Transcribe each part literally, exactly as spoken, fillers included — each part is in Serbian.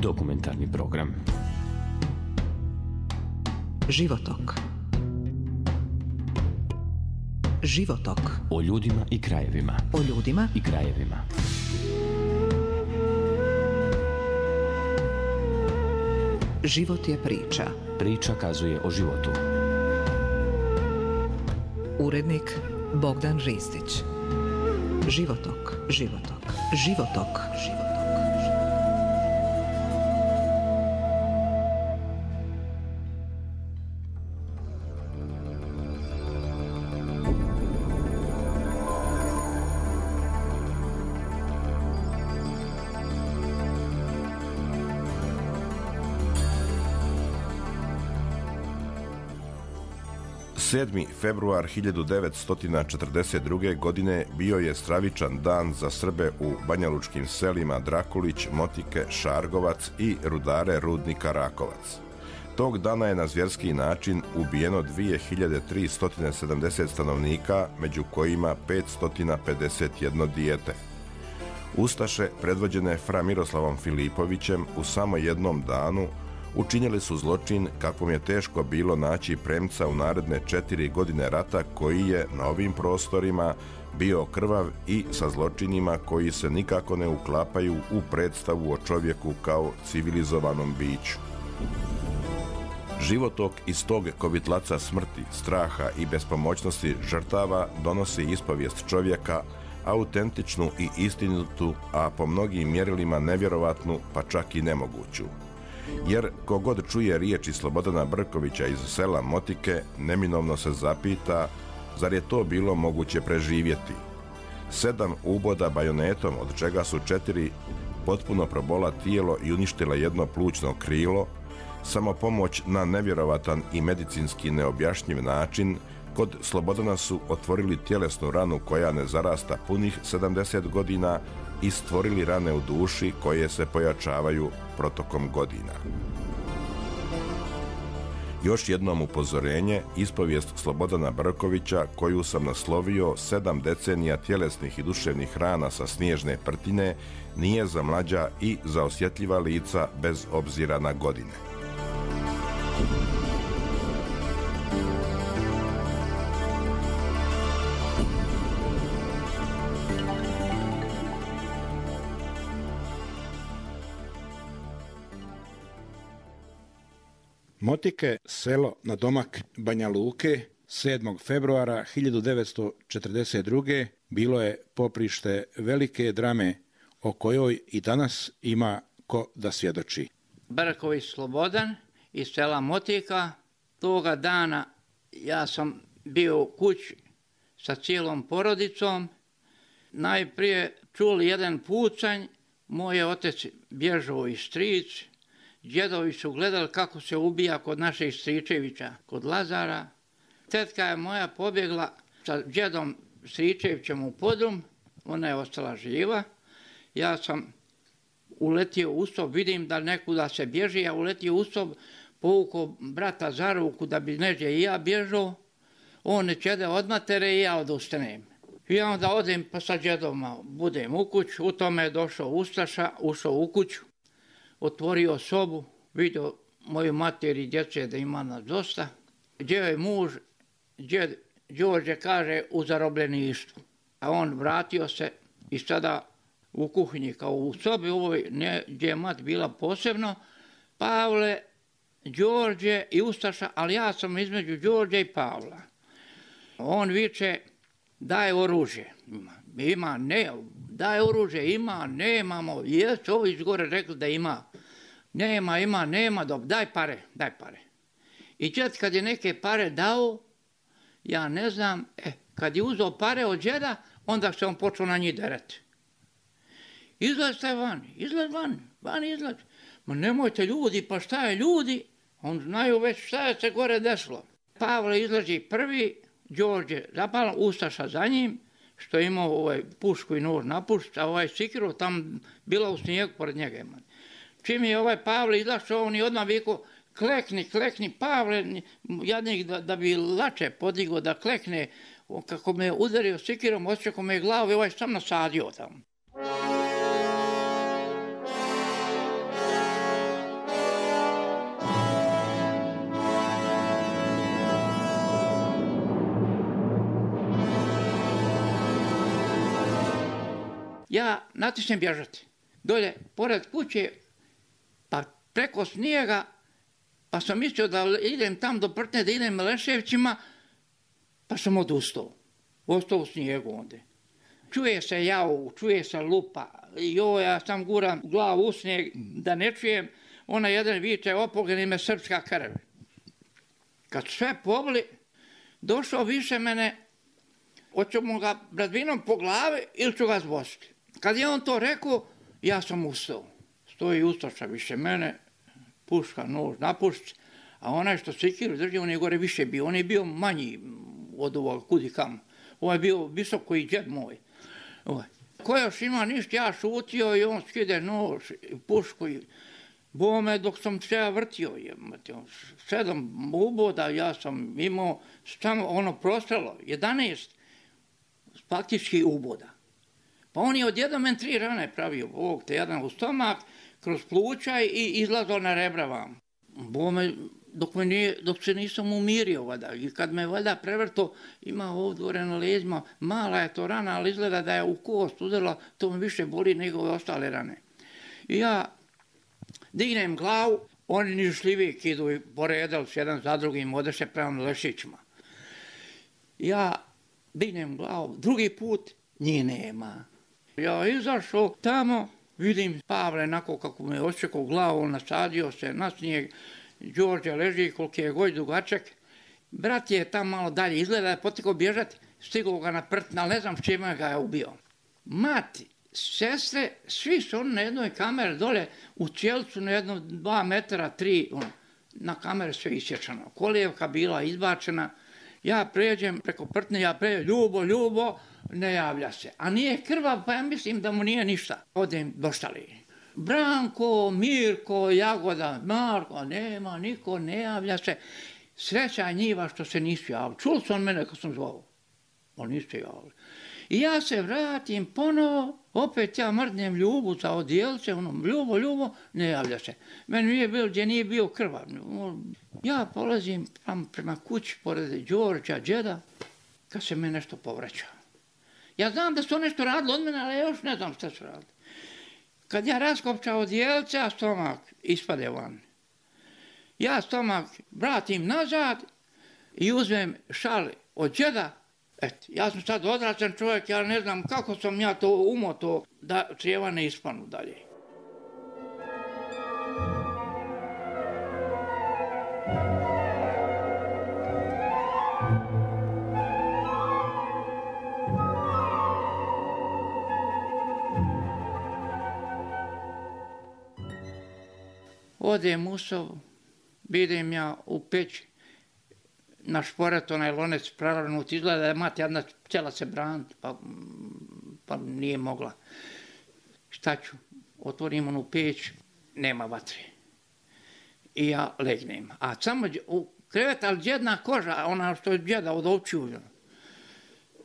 Dokumentarni program Životok. Životok. O ljudima i krajevima. O ljudima i krajevima. Život je priča. Priča kazuje o životu. Urednik Bogdan Ristić. Životok. Životok. Životok. Životok. sedmi februar hiljadu devetsto četrdeset druge. godine bio je stravičan dan za Srbe u banjalučkim selima Drakulić, Motike, Šargovac i rudare rudnika Rakovac. Tog dana je na zvjerski način ubijeno dvije hiljade tristo sedamdeset stanovnika, među kojima petsto pedeset jedno dijete. Ustaše, predvođene fra Miroslavom Filipovićem, u samo jednom danu učinili su zločin kakvom je teško bilo naći premca u naredne četiri godine rata, koji je na ovim prostorima bio krvav i sa zločinima koji se nikako ne uklapaju u predstavu o čovjeku kao civilizovanom biću. Životok iz tog kovitlaca smrti, straha i bespomoćnosti žrtava donosi ispovijest čovjeka, autentičnu i istinitu, a po mnogim mjerilima nevjerovatnu, pa čak i nemoguću. Jer kogod čuje riječi Slobodana Brkovića iz sela Motike, neminovno se zapita, zar je to bilo moguće preživjeti? Sedam uboda bajonetom, od čega su četiri potpuno probola tijelo i uništila jedno plućno krilo, samo pomoć na nevjerovatan i medicinski neobjašnjiv način, kod Slobodana su otvorili tjelesnu ranu koja ne zarasta punih sedamdeset godina i stvorili rane u duši koje se pojačavaju protokom godina. Još jednom upozorenje, ispovijest Slobodana Brkovića, koju sam naslovio sedam decenija tjelesnih i duševnih rana sa snježne prtine, nije za mlađa i za osjetljiva lica bez obzira na godine. Motike, selo na domak Banja Luke, sedmog februara hiljadu devetsto četrdeset druge. bilo je poprište velike drame o kojoj i danas ima ko da svjedoči. Brković Slobodan iz sela Motika. Toga dana ja sam bio u kući sa cijelom porodicom. Najprije čuli jedan pucanj, moj otec bježao i stric, djedovi su gledali kako se ubija kod naših Stričevića, kod Lazara. Tetka je moja pobjegla sa djedom Stričevićem u podrum, ona je ostala živa. Ja sam uletio u sob, vidim da nekuda se bježi, ja uletio u sob, povukao brata za ruku da bi neđe i ja bježao. On ne čede od matere i ja odustanem. I onda odem pa sa djedom budem u kuću, u tome je došao Ustaša, ušao u kuću, otvorio sobu, vidio moju mater i djece da ima nas dosta. Gdje je muž, djed Đorđe kaže u zarobljeništvu. A on vratio se i sada u kuhinji kao u sobi ovoj, ne, gdje je mat bila posebno, Pavle, Đorđe i Ustaša, ali ja sam između Đorđe i Pavla. On viče, daj oružje. Ima, ne, daj oružje, ima, nemamo, jest, ovi iz gore rekli da ima. Nema, ima, nema, dobro, daj pare, daj pare. I čet kad je neke pare dao, ja ne znam, e, kad je uzeo pare od džeda, onda se on počeo na njih derati. Izlazite van, izlaz van, van izlaz. Ma nemojte ljudi, pa šta je ljudi? On znaju već šta je se gore desilo. Pavle izlazi prvi, Đorđe zapala, Ustaša za njim, što je imao ovaj pušku i nož napušt, a ovaj sikiru tam bila u snijegu pored njega. Čim je ovaj Pavle izašao, on je odmah vikao, klekni, klekni, Pavle, jadnik da, da bi lače podigo, da klekne, kako me je udario sikirom, osjećao me je glavu i ovaj sam nasadio tamo. ja natisnem bježati. Dolje, pored kuće, pa preko snijega, pa sam mislio da idem tam do Prtne, da idem Leševćima, pa sam odustao. Ostao u snijegu onda. Čuje se jau, čuje se lupa. Jo, ja sam guram glavu u snijeg da ne čujem. Ona jedan viče, opogni me srpska krv. Kad sve pobli, došao više mene, hoću mu ga bradvinom po glavi ili ću ga zbositi. Kad je on to rekao, ja sam ustao. Stoji ustaša više mene, puška, nož, napušć, a onaj što sikiru drži, on je gore više bio. On je bio manji od ovoga kudi kam. Ovo je bio visoko i džed moj. Ovo. Ko još ima ništa, ja šutio i on skide nož, pušku i bome dok sam se ja vrtio. Sedam uboda ja sam imao samo ono prostrelo, jedanaest faktički uboda. Pa on je odjednom men tri rane pravio, ovog te jedan u stomak, kroz pluća i izlazao na rebra vam. Bome, dok, me nije, dok se nisam umirio, vada. I kad me valjda prevrto, ima ovdje na leđima, mala je to rana, ali izgleda da je u kost uzela, to me više boli nego ove ostale rane. I ja dignem glavu, oni nižljivijek idu i poredali s jedan za drugim, odeše prema Lešićima. Ja dignem glavu, drugi put njih nema. Ja izašao tamo, vidim Pavle onako kako me očekao glavu, nasadio se na snijeg, Đorđe leži koliki je goj dugačak. Brat je tam malo dalje, izgleda je potekao bježati, stigao ga na Prtna, ali ne znam s čime ga je ubio. Mati, sestre, svi su oni na jednoj kameri dole u Cijelcu na jednom dva metra, tri, on, na kamere sve isječano. Kolijevka bila izbačena, ja pređem preko Prtne, ja pređem, Ljubo, Ljubo, ne javlja se. A nije krvav, pa ja mislim da mu nije ništa. Odem doštali. Branko, Mirko, Jagoda, Marko, nema, niko ne javlja se. Sreća njiva što se nisu javili. Čuli su on mene kad sam zvao. Oni nisu javili. I ja se vratim ponovo, opet ja mrdnem Ljubu za odjelce, ono, Ljubo, Ljubo, ne javlja se. Meni nije bilo gdje nije bio krvav. Ja polazim prema kući pored Đorđa, džeda, kad se me nešto povraća. Ja znam da su nešto radili od mene, ali ja još ne znam šta su radili. Kad ja raskopčao odjelce, a stomak ispade van. Ja stomak vratim nazad i uzmem šal od džeda. Et, ja sam sad odrastan čovjek, ja ne znam kako sam ja to umoto da crijeva ne ispanu dalje. Odem u sobu, vidim ja u peći, na šporet onaj lonec prevrnut, izgleda da je mati jedna htjela se braniti, pa, pa nije mogla. Šta ću? Otvorim onu peć, nema vatre. I ja legnem. A samo u krevet, ali džedna koža, ona što je džeda od ovčiju.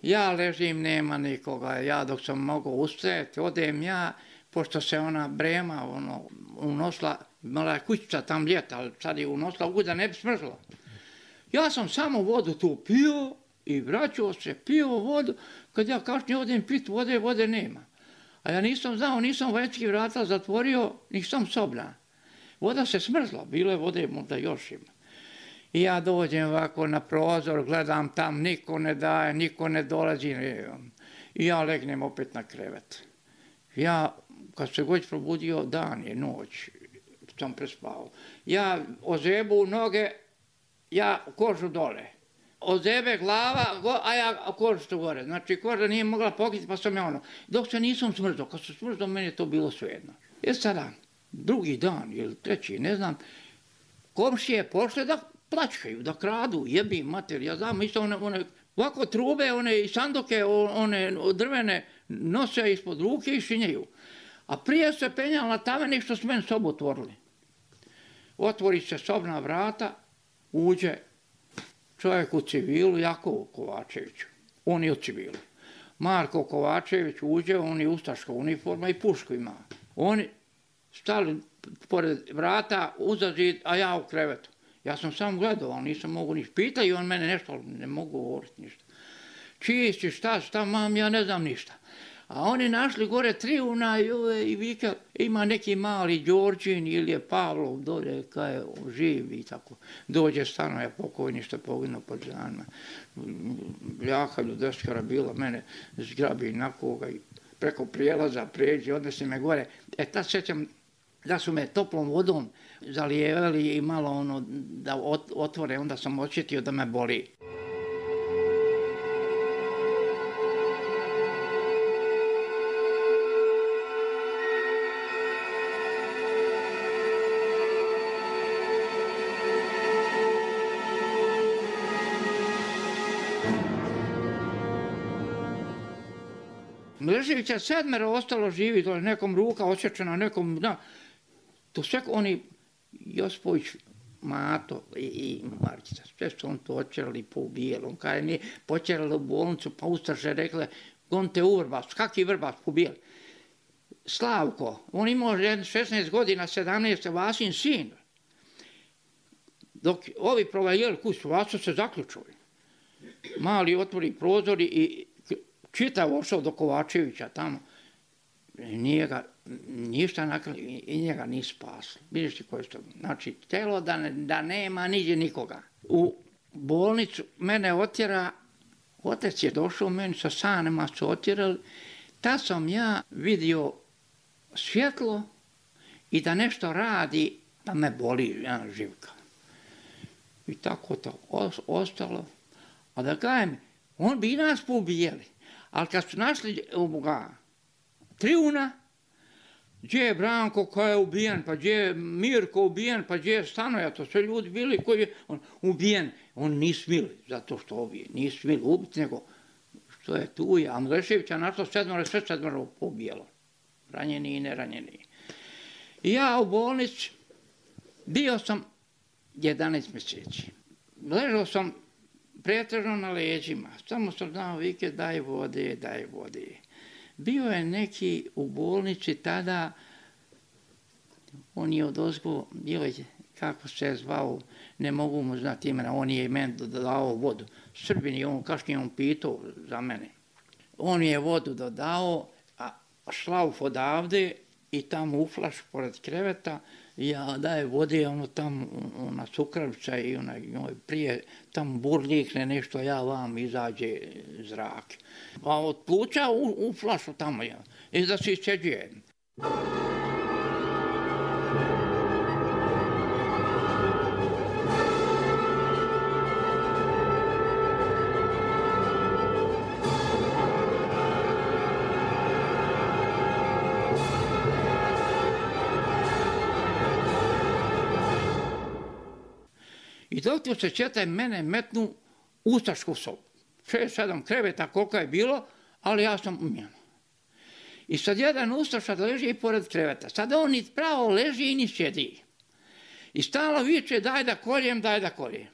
Ja ležim, nema nikoga. Ja dok sam mogao ustajati, odem ja, pošto se ona brema ono, unosla, mala je kućica tam ljeta, ali sad je unosla u da ne bi smrzla. Ja sam samo vodu tu pio i vraćao se, pio vodu, kad ja kasnije odem pit vode, vode nema. A ja nisam znao, nisam vanjski vrata zatvorio, nisam sobna. Voda se smrzla, bilo je vode možda još ima. I ja dođem ovako na prozor, gledam tam, niko ne daje, niko ne dolazi. I ja legnem opet na krevet. Ja, kad se god probudio, dan je, noć, sam prespao. Ja ozebu noge, ja kožu dole. Ozebe glava, go, a ja kožu tu gore. Znači, koža nije mogla pokriti, pa sam ja ono. Dok se nisam smrzao, kad se smrzao, meni je to bilo svejedno. I sada, drugi dan, ili treći, ne znam, komšije pošle da plačkaju, da kradu, jebi mater, ja znam, isto one, one ovako trube, one i sanduke, one drvene, nose ispod ruke i šinjaju. A prije se penjali na tavenik što su meni sobu otvorili. Otvori se sobna vrata, uđe čovjek u civilu, Jakov Kovačević, on je u civilu. Marko Kovačević uđe, on je ustaška uniforma i pušku ima. Oni stali pored vrata, uza zid, a ja u krevetu. Ja sam sam gledao, nisam mogu ništa. Pitaju on mene nešto, ali ne mogu govoriti ništa. Čiji si, šta, šta mam, ja ne znam ništa. A oni našli gore Triuna i, ove, i vika, ima neki mali Đorđin ili je Pavlov dolje, kaj je živ i tako. Dođe stanuje pokojni što je poginuo pod Žanima. Ljaka ljudeskara bila, mene zgrabi na koga i preko prijelaza pređe, odnesi me gore. E tad sjećam da su me toplom vodom zalijevali i malo ono da otvore, onda sam osjetio da me boli. Mleževića sedmero ostalo živi, to je nekom ruka osječena, nekom, da, to sve oni, Josipović, Mato i, i Markica, sve su on to očerali, poubijeli, on kada mi počerali u bolnicu, pa ustaše rekle, gonte u Vrbas, kaki Vrbas, pobijeli. Slavko, on imao šesnaest godina, sedamnaest, Vasin sin, dok ovi provajeli kuću, Vaso se zaključuje. Mali otvori prozori i čitav ošao do Kovačevića tamo. Nije ga, ništa nakrali i njega ni spasli. Vidiš ti koje što, znači, telo da, ne, da nema niđe nikoga. U bolnicu mene otjera, otec je došao meni sa sanima, su otjerali. Tad sam ja vidio svjetlo i da nešto radi, da me boli ja, živka. I tako to ostalo. A da kajem, on bi nas poubijeli. Ali kad su našli ovoga Triuna, gdje je Branko koji je ubijen, pa gdje je Mirko ubijen, pa gdje je Stanoja, to sve ljudi bili koji je on, ubijen. On nisu smili, zato što ovi nisu smili ubiti, nego što je tu. A Mleševića našlo sedmero, sve sedmero pobijelo. Ranjeni i neranjeni. I ja u bolnici bio sam jedanaest mjeseci. Ležao sam pretežno na leđima, samo sam znao vike daj vode, daj vode. Bio je neki u bolnici tada, on je odozgo, bio je, kako se zvao, ne mogu mu znati imena, on je meni dodao vodu. Srbin je on, kašnje on pitao za mene. On je vodu dodao, a šlauf odavde i tamo u flaš pored kreveta, ja daje vode, ono tamo, ona cukravica i ona, prije tamo burljikne nešto, ja vam izađe zrak. A od pluća u, u flašu tamo ja, i da se isčeđuje. I doktor se četaj mene metnu u ustašku sobu. Šest, sedam kreveta koliko je bilo, ali ja sam u njemu. I sad jedan ustaša leži pored kreveta. Sad on ni pravo leži i ni sjedi. I stalo viče daj da koljem, daj da koljem.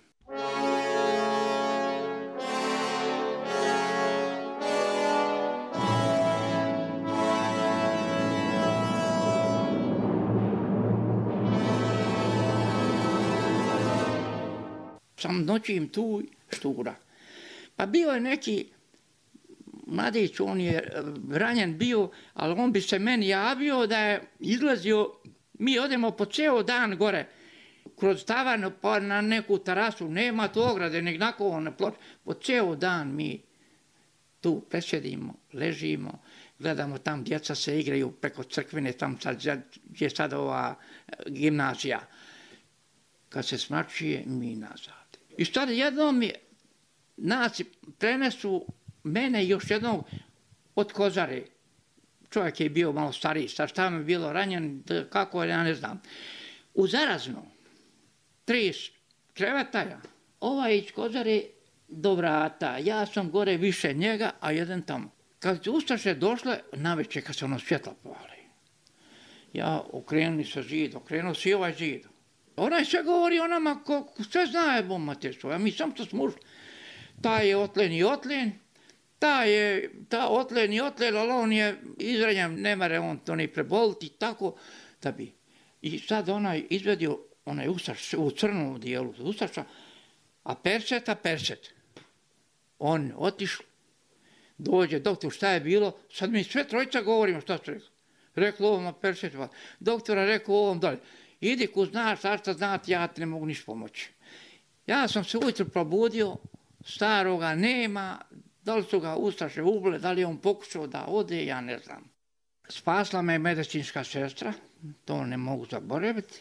Sam noćim tu štura. Pa bio je neki mladić, on je ranjen bio, ali on bi se meni javio da je izlazio, mi odemo po ceo dan gore, kroz tavan pa na neku terasu, nema tu ograde, nek nakon na ploč, po ceo dan mi tu presjedimo, ležimo, gledamo tam, djeca se igraju preko crkvine, tam sad, gdje je sad ova gimnazija. Kad se smračuje, mi nazad. I sad jednom je, nas prenesu mene i još jednog od Kozare. Čovjek je bio malo stariji, sa šta mi je bilo ranjen, kako ja ne znam. U Zarazno, tri kreveta ja, ovaj iz Kozare do vrata, ja sam gore više njega, a jedan tamo. Kad ustaše došle, navečer kad se ono svjetla povali. Ja okrenuli se zid, okrenuo se i ovaj zid. Onaj sve govori o nama, ko, sve zna je bombaterstvo, a mi sam to smo ušli. Ta je otlen i otlen, ta je ta otlen i otlen, ali on je izranjen, ne mere on to ni preboliti, tako da bi. I sad onaj izvedio, onaj ustaš u crnom dijelu ustaša, a perset, a perset. On otišli, Dođe doktor, šta je bilo? Sad mi sve trojica govorimo šta su rekli. Reklo ovom peršetva. Doktora rekao ovom dalje. Idi ko znaš, šta šta znati, ja ti ne mogu ništa pomoći. Ja sam se ujutro probudio, staroga nema, da li su ga ustaše ubile, da li je on pokušao da ode, ja ne znam. Spasla me medicinska sestra, to ne mogu zaboraviti.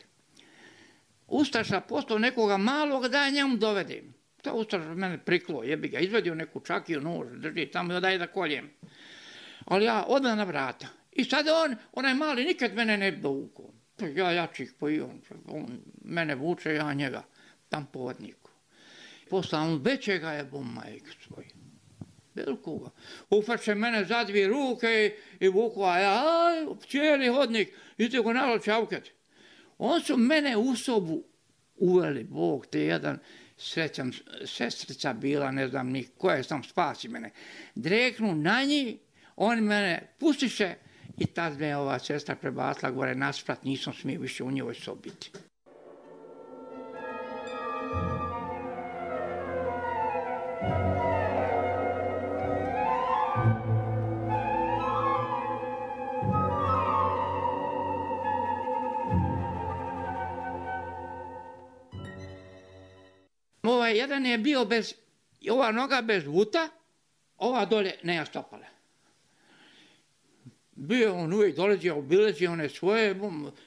Ustaša poslao nekoga malog da ja njemu dovedim. To ustaša mene priklo, jebi ga, izvedio neku čakiju, nož, drži tamo da daje da koljem. Ali ja odmah na vrata. I sad on, onaj mali, nikad mene ne bi dovukao. Ja jačih po i on, on mene vuče, ja njega, tam po hodniku. Posle on većega je bom majke svoj. Velikoga. Ufače mene za dvije ruke i vuku, a ja, aj, cijeli hodnik, idite go nalo čavket. On su mene u sobu uveli, Bog te jedan, srećam, sestrica bila, ne znam ni koja sam spasi mene. Dreknu na njih, oni mene pustiše i tad me ova sestra prebacila gore nasprat, nisam smio više u njoj sobi biti. Ovaj jedan je bio bez, ova noga bez vuta, ova dolje nema stopala. Bio on uvijek dolazio, obilazio one svoje,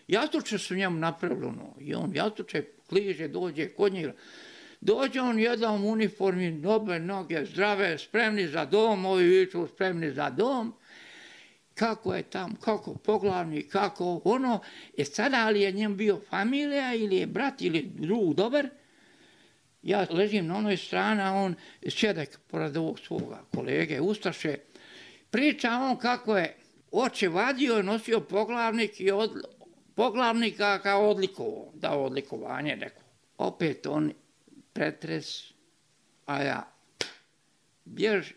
jastuče su njemu napravili ono, i on jastuče kliže, dođe kod njega. Dođe on jedan u uniformi, dobe noge, zdrave, spremni za dom, ovi viču spremni za dom. Kako je tam, kako poglavni, kako ono, je sada ali je njem bio familija ili je brat ili drug dobar. Ja ležim na onoj strani, a on sjedek pored ovog svoga kolege, ustaše. Priča on kako je oče vadio, nosio poglavnik i od, poglavnika kao odlikovo, dao odlikovanje neko. Opet on pretres, a ja bježi.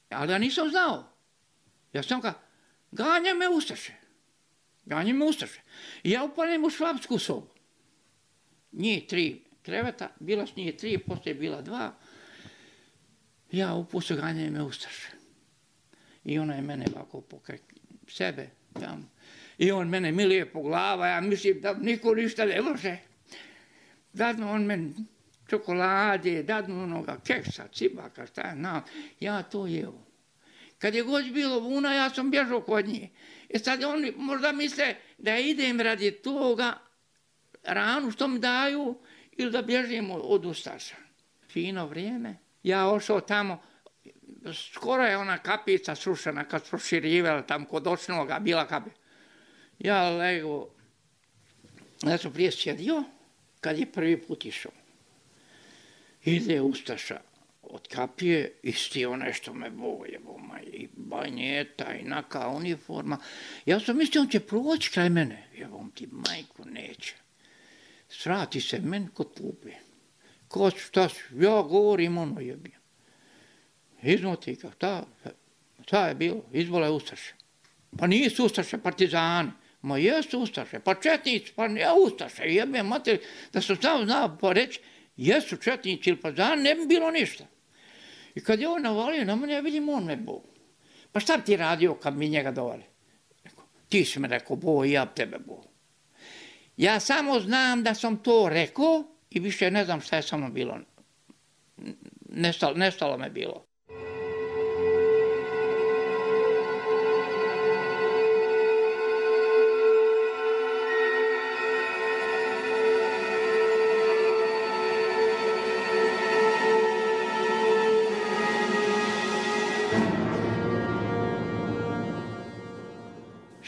Ali ja nisam znao. Ja sam ka, ganja me ustaše. Ganja me ustaše. I ja upalim u švapsku sobu. Njih tri kreveta, bila s njih tri, poslije je bila dva. Ja upustio ganja me ustaše. I ona je mene ovako pokraj sebe tamo. I on mene milije po glava, ja mislim da niko ništa ne može. Dadnu on meni čokolade, dadnu onoga keksa, cibaka, šta je znam. Ja to jeo. Kad je god bilo vuna, ja sam bježao kod nje. I sad oni možda misle da idem radi toga ranu što mi daju ili da bježim od ustaša. Fino vrijeme. Ja ošao tamo, skoro je ona kapica srušena kad su proširivala tam kod očnoga, bila kapica. Ja lego, ja sam prije sjedio kad je prvi put išao. Ide ustaša od kapije, isti onaj što me boje, boma, i banjeta, i naka uniforma. Ja sam mislio, on će proći kraj mene. Jebom ti, majku, neće. Svrati se meni kod klupe. Ko su, šta su? Ja govorim ono jebim. Iznuti ga, šta, šta je bilo? Izvole ustaše. Pa nisu ustaše, partizani. Ma jesu ustaše, pa četnici, pa ja ustaše, jebe mater, da sam sam znao pa reći, jesu četnici ili partizani, ne bi bilo ništa. I kad je on navalio na mene, ja vidim, on me bo. Pa šta bi ti radio kad mi njega dovali? Ti si me rekao, bo, i ja tebe bo. Ja samo znam da sam to rekao i više ne znam šta je sa mnom bilo. Nestalo, nestalo me bilo.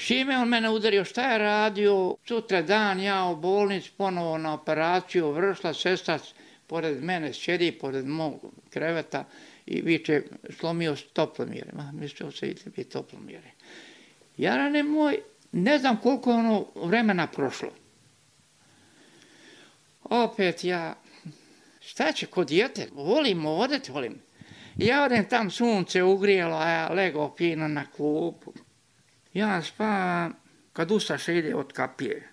Šime on mene udario, šta je radio, sutra dan ja u bolnici ponovo na operaciju, vršla sestra pored mene, sjedi pored mog kreveta i viče, slomio se toplomjere, ma mislio se ide biti toplomjere. Jarane moj, ne znam koliko je ono vremena prošlo. Opet ja, šta će kod dijete, volim odeti, volim. Ja odem tam, sunce ugrijelo, a ja lego fino na klupu. Ja spavam, kad ustaše ide od kapije.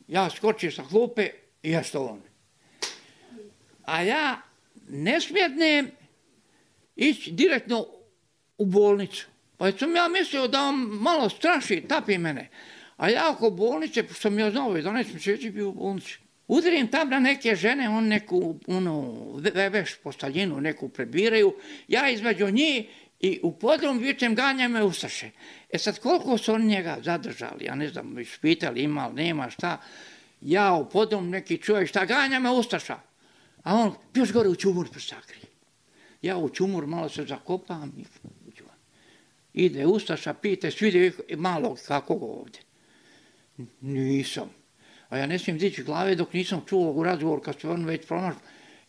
Ja skočim sa klupe i ja stovam. A ja ne smjednem ići direktno u bolnicu. Pa sam ja mislio da on malo straši, tapi mene. A ja oko bolnice, pošto sam ja znao, jedanaest mjeseci bio u bolnici. Udarim tam na neke žene, on neku ono, veš postaljinu neku prebiraju. Ja između njih i u podrum vičem ganja me ustaše. E sad koliko su oni njega zadržali, ja ne znam, ispitali ima li, nema šta. Ja u podrum neki čovjek šta ganja me ustaša. A on još gore u čumur posakri. Ja u čumur malo se zakopam i ide ustaša, pite, svide malo kako go ovdje. Nisam. A ja ne smijem dići glave dok nisam čuo u razgovor kad se on već pronašao.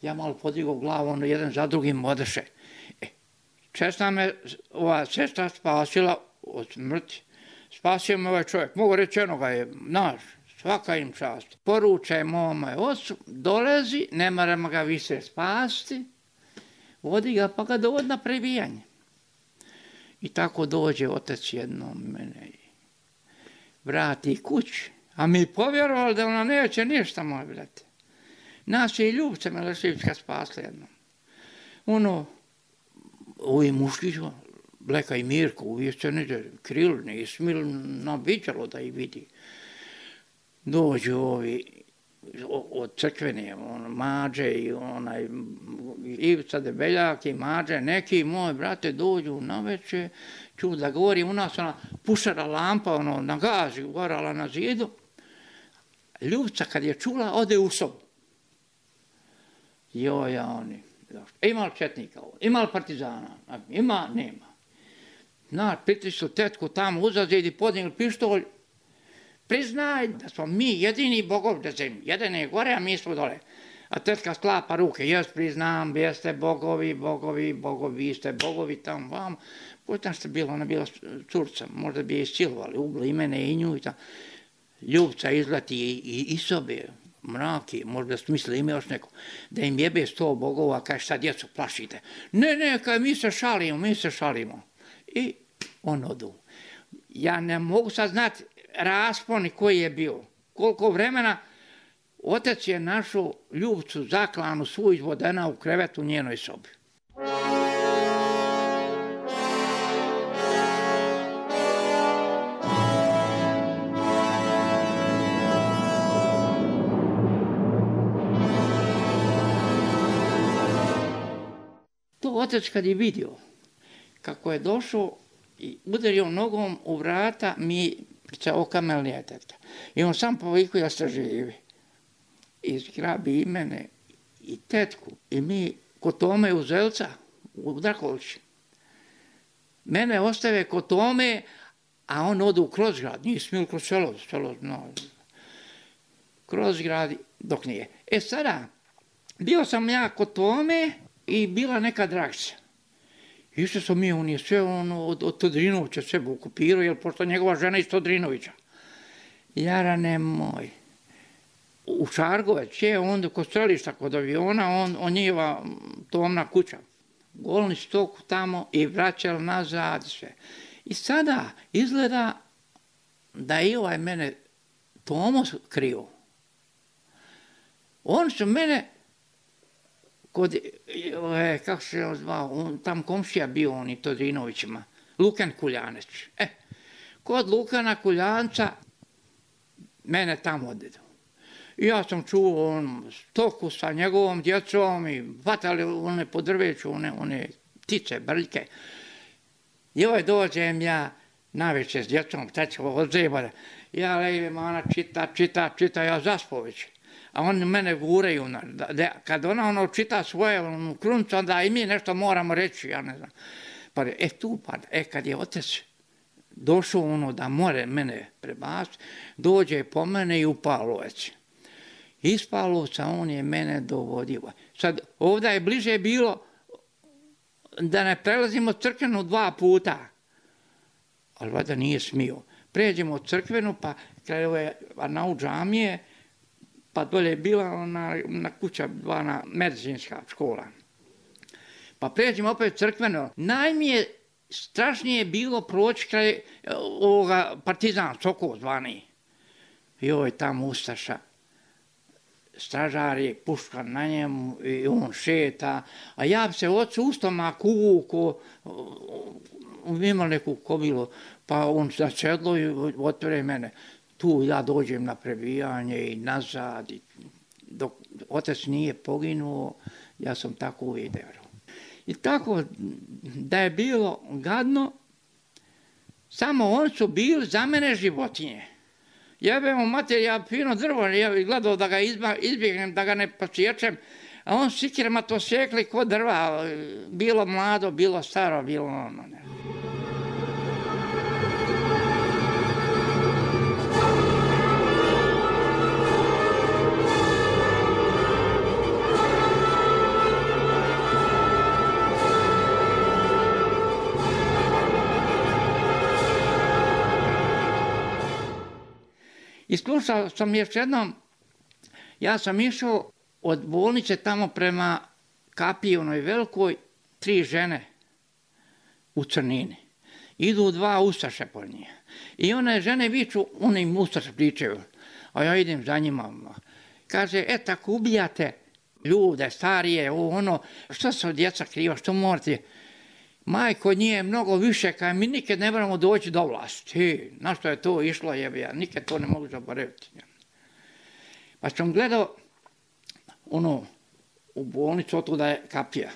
Ja malo podigao glavu, ono jedan za drugim odeše. E, česta me ova sestra spasila od smrti. Spasio me ovaj čovjek. Mogu reći jednoga je naš, svaka im čast. Poručaj mome ocu, dolezi, ne moramo ga više spasti, vodi ga pa ga dovodi na prebijanje. I tako dođe otac jednom mene i vrati kući. A mi povjerovali da ona neće ništa, moj brate. Nas je i Ljubca Meleševićka spasla jednom. Ono, ovi muški, Bleka i Mirko, uvijek se neđe kril, ne smil nabiđalo da ih vidi. Dođu ovi od crkvene, on, Mađe i onaj Ivica Debeljak i Mađe, neki moj brate dođu na večer, ču da govori, u nas ona pušara lampa, ono, na gazi, gorala na zidu. Ljubca kad je čula, ode u sobu. Joj, oni, ima li četnika ovo, ima li partizana, ima, nema. Znaš, pritisli tetku tamo uzazid i podigli pištolj. Priznaj da smo mi jedini bogovi na zemlji. Jedan je gore, a mi smo dole. A tetka sklapa ruke. Jes, priznam, jeste bogovi, bogovi, bogovi, vi ste bogovi tamo vam. Pošto ste bila, ona bila curca, možda bi je isilovali, ubili i mene i nju i tamo. Ljubca izleti i, i, i sobe, mraki, možda su mislili ime još neko, da im jebe sto bogova, kaj šta djecu plašite. Ne, ne, kaj mi se šalimo, mi se šalimo. I on odu. Ja ne mogu sad znati rasponi koji je bio. Koliko vremena otac je našao Ljubcu zaklanu svu izvodena u krevetu u njenoj sobi. To otac kad je vidio kako je došao i udario nogom u vrata, mi se okamelnija tetka. I on sam poviku ja se živi. I zgrabi i mene, i tetku, i mi kod Tome u Zelca, u Drakovići. Mene ostave kod Tome, a on ode u Krozgrad, nije smil kroz selo, selo no, Krozgrad dok nije. E sada, bio sam ja kod Tome i bila neka Dragca. Išli smo mi, on je sve ono, od, od Todrinovića sebe okupirao, jer pošto njegova žena iz Todrinovića. Jarane moj, u Šargovec je onda kod strelišta, kod aviona, on, on njeva Tomna kuća. Golni stok tamo i vraćali nazad sve. I sada izgleda da je ovaj mene Tomo krio. On su mene kod, e, kako se je zvao, on, tam komšija bio on i Todrinovićima, Lukan Kuljanec. E, kod Lukana Kuljanca mene tamo odedu. I ja sam čuo on stoku sa njegovom djecom i vatali one po drveću, one, one ptice, brljke. I ovaj dođem ja navečer s djecom, tećo od zebara. Ja lejim, ona čita, čita, čita, ja zaspo već. A oni mene guraju, da, da, kad ona ono čita svoje ono, kruncu, onda i mi nešto moramo reći, ja ne znam. Pa e tu pada, e kad je otac došao ono da more mene prebaciti, dođe po mene i u Pavlovec. Iz Pavlovca on je mene dovodio. Sad ovdje je bliže bilo da ne prelazimo crkvenu dva puta, ali valjda nije smio. Pređemo crkvenu pa kraj ove Arnaut džamije, pa dolje je bila ona, na kuća dvana medicinska škola. Pa pređemo opet crkveno. Najmije strašnije bilo proći kraj ovoga Partizan, Sokol zvani. I ovo je tamo ustaša. Stražari, puška na njemu i on šeta. A ja se ocu u stomak uvuku, imali neku kobilu, pa on za sedlo i otvore mene. Tu ja dođem na prebijanje i nazad. I dok otac nije poginuo, ja sam tako uvijek. I tako da je bilo gadno, samo oni su bili za mene životinje. Jebemo mater, ja fino drvo, ja gledao da ga izbjegnem, da ga ne posječem, a on sikirama to sjekli ko drva, bilo mlado, bilo staro, bilo ono. Ne. I slušao sam još jednom, ja sam išao od bolnice tamo prema kapiji onoj velikoj, tri žene u crnini. Idu dva ustaše po njih. I one žene viču, one im ustaše pričaju, a ja idem za njima. Kaže, e tako ubijate ljude, starije, ono, što se od djeca kriva, što morate? Majko, nije mnogo više, kaj mi nikad ne moramo doći do vlasti. Na što je to išlo, jebi, ja nikad to ne mogu zaboraviti. Pa sam gledao ono, u bolnicu, otuda je kapija.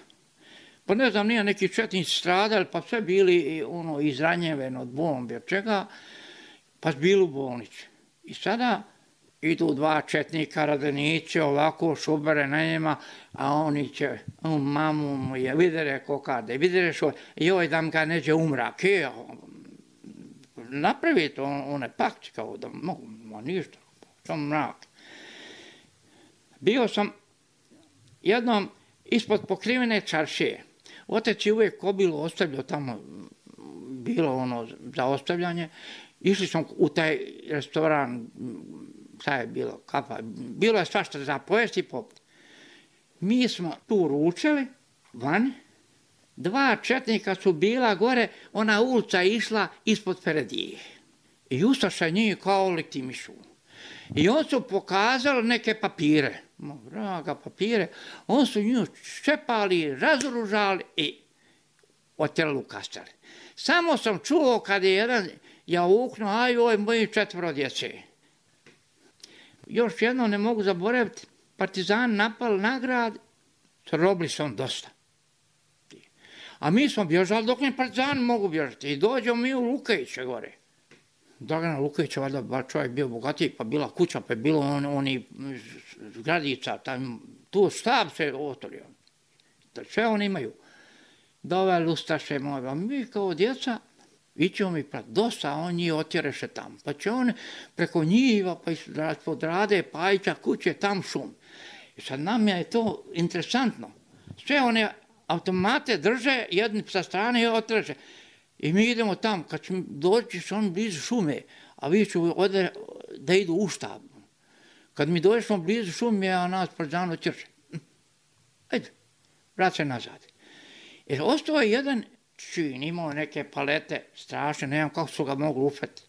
Pa ne znam, nije neki četnici stradali, pa sve bili ono, izranjeveni od bombe, od čega, pa bili u bolnici. I sada idu dva četnika, radenici, ovako šubere na njima, a oni će, on, mamu mu je, videre kokade, videre što, joj dam ga neđe umrak, je, napravi to, one pakci kao da mogu, ma ništa, sam mrak. Bio sam jednom ispod pokrivene čaršije. Otec je uvijek kobilu ostavljao tamo, bilo ono za ostavljanje. Išli smo u taj restoran, šta je bilo, kafa, bilo je svašta za pojesti i popiti. Mi smo tu ručali, vani, dva četnika su bila gore, ona ulica je išla ispod Peredije. I ustaša njih kao lektimišu. I on su pokazali neke papire, vraga papire, on su nju ščepali, razoružali i otjerali u kastali. Samo sam čuo kad je jedan jauknuo, aj oj, moji četvoro djece. Još jedno ne mogu zaboraviti, partizani napali na grad, robili su on dosta. A mi smo bježali dok ne partizani mogu bježati i dođemo mi u Lukajiće gore. Dragana Lukajića, valjda bar čovjek bio bogatiji, pa bila kuća, pa je bilo on, oni zgradica, tam, tu štab se otvorio. Sve oni imaju. Doveli ustaše moje, a mi kao djeca, ićemo mi prat dosta, a on njih otjereše tam. Pa će on preko njiva, pa ispod Rade, Pajića, kuće, tam šum. I sad nam je to interesantno. Sve one automate drže, jedni sa strane i otreže. I mi idemo tam, kad ćemo doći on blizu šume, a vi ću ode, da idu u štab. Kad mi dođemo blizu šume, a nas partizan otjereše. Ajde, vrat se nazad. Jer ostao je jedan čin, imao neke palete strašne, ne znam kako su ga mogli ufati.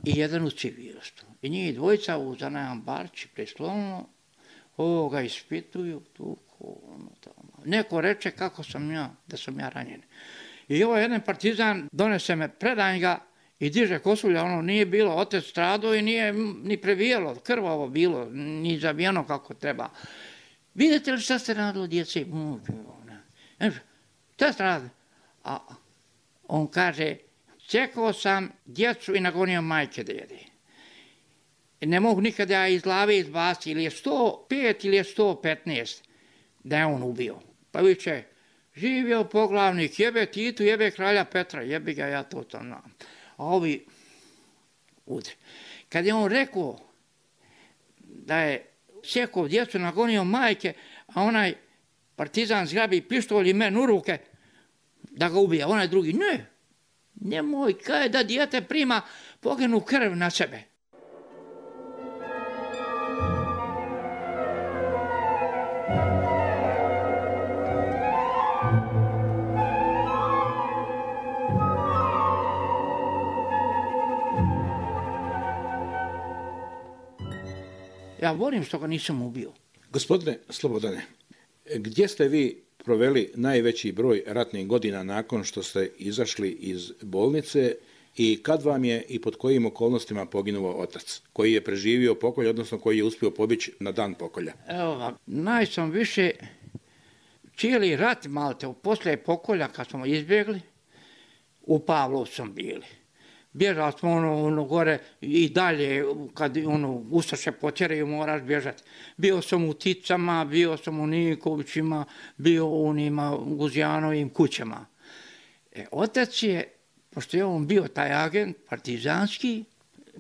I jedan u civilstvu. I njih dvojica za jedan barči preslovno, ovo ga ispituju, tu, ono tamo. Neko reče kako sam ja, da sam ja ranjen. I ovaj jedan partizan donese me, predanj ga i diže kosulja, ono nije bilo, otec stradao i nije ni previjelo, krvavo bilo, ni zabijeno kako treba. Vidite li šta ste radili djeci? Šta ste radili? A on kaže, čekao sam djecu i nagonio majke da jede. Ne mogu nikada ja iz glave izbaciti, ili je sto pet ili je sto petnaest da je on ubio. Pa viče, živio poglavnik, jebe Titu, jebe kralja Petra, jebi ga ja to tam znam. A ovi udri. Kad je on rekao da je sjekao djecu, nagonio majke, a onaj partizan zgrabi pištolj i men u ruke, da ga ubija. Onaj drugi, ne, nemoj, kaj da dijete prima poginu krv na sebe. Ja volim što ga nisam ubio. Gospodine Slobodane, gdje ste vi proveli najveći broj ratnih godina nakon što ste izašli iz bolnice i kad vam je i pod kojim okolnostima poginuo otac, koji je preživio pokolj, odnosno koji je uspio pobići na dan pokolja? Evo, naj sam više cijeli rat malte, poslije pokolja kad smo izbjegli, u Pavlovcu sam bili. Bježali smo ono, ono gore i dalje, kad ono, ustaše potjeraju, moraš bježati. Bio sam u Ticama, bio sam u Nikovićima, bio u onima Guzjanovim kućama. E, otac je, pošto je on bio taj agent partizanski,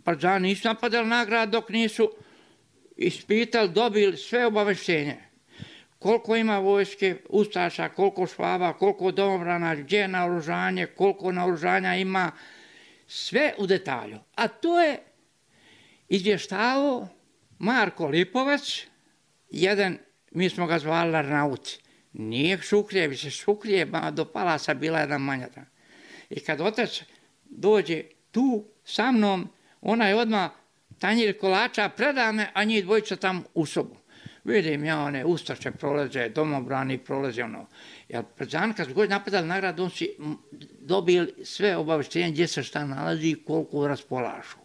partizani nisu napadali na grad dok nisu ispitali, dobili sve obaveštenje. Koliko ima vojske, ustaša, koliko švaba, koliko domobrana, gdje je naoružanje, koliko naoružanja ima, sve u detalju. A to je izvještavao Marko Lipovac, jedan, mi smo ga zvali Arnaut. Nije Šukrije, bi se Šukrije, do Palasa bila jedna manja. I kad otac dođe tu sa mnom, ona je odmah tanjir kolača preda me, a njih dvojica tam u sobu. Vidim ja one ustaše prolaze, domobrani prolaze ono. Jer partizani kad su god napadali na grad, on si dobili sve obaveštenje gdje se šta nalazi i koliko raspolažu.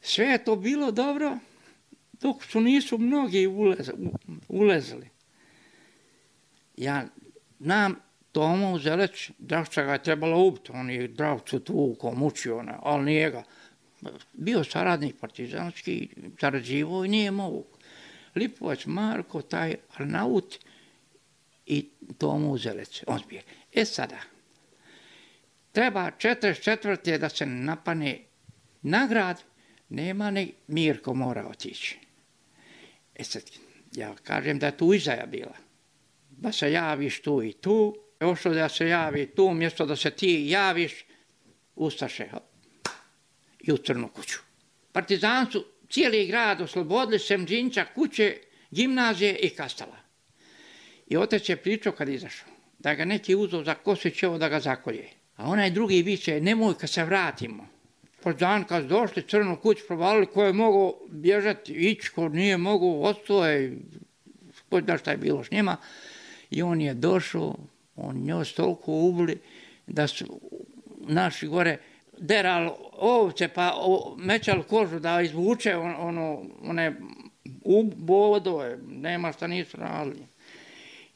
Sve je to bilo dobro, dok su nisu mnogi ulezali. Ja nam Tomu Zeleć, Dravča ga je trebalo ubiti, on je Dravcu tuko, mučio, ali nije ga. Bio saradnik partizanski, sarađivo i nije mogu. Lipovac Marko, taj Arnaut i Tomu Zelec, on zbije. E sada, treba četrdeset četvrte da se napane na grad, nema ni Mirko mora otići. E sad, ja kažem da je tu izdaja bila. Da se javiš tu i tu, još da se javi tu, umjesto da se ti javiš, ustaše i u crnu kuću. Partizani su cijeli grad oslobodili, sem Đinča, kuće, gimnazije i Kastala. I otac je pričao kad izašao, da ga neki uzeo za Kosićevo da ga zakolje. A onaj drugi viče, nemoj kad se vratimo. Partizani kad su došli, crnu kuću provalili, ko je mogao bježati, ići, ko nije mogao, ostoje, ko zna šta je bilo s njima. I on je došao, on njoj toliko ubili, da su naši gore derali ovce, pa mećali kožu da izvuče ono, one bodove, nema šta nisu radili.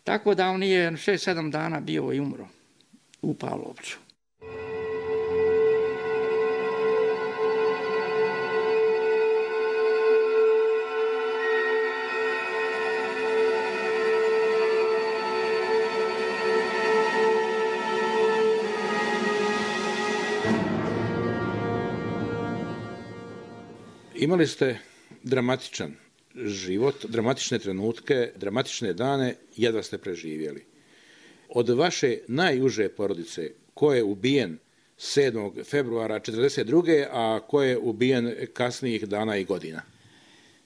Tako da on je šest sedam dana bio i umro u Pavlovcu. Imali ste dramatičan život, dramatične trenutke, dramatične dane, jedva ste preživjeli. Od vaše najuže porodice, ko je ubijen sedmog februara četrdeset druge a ko je ubijen kasnijih dana i godina?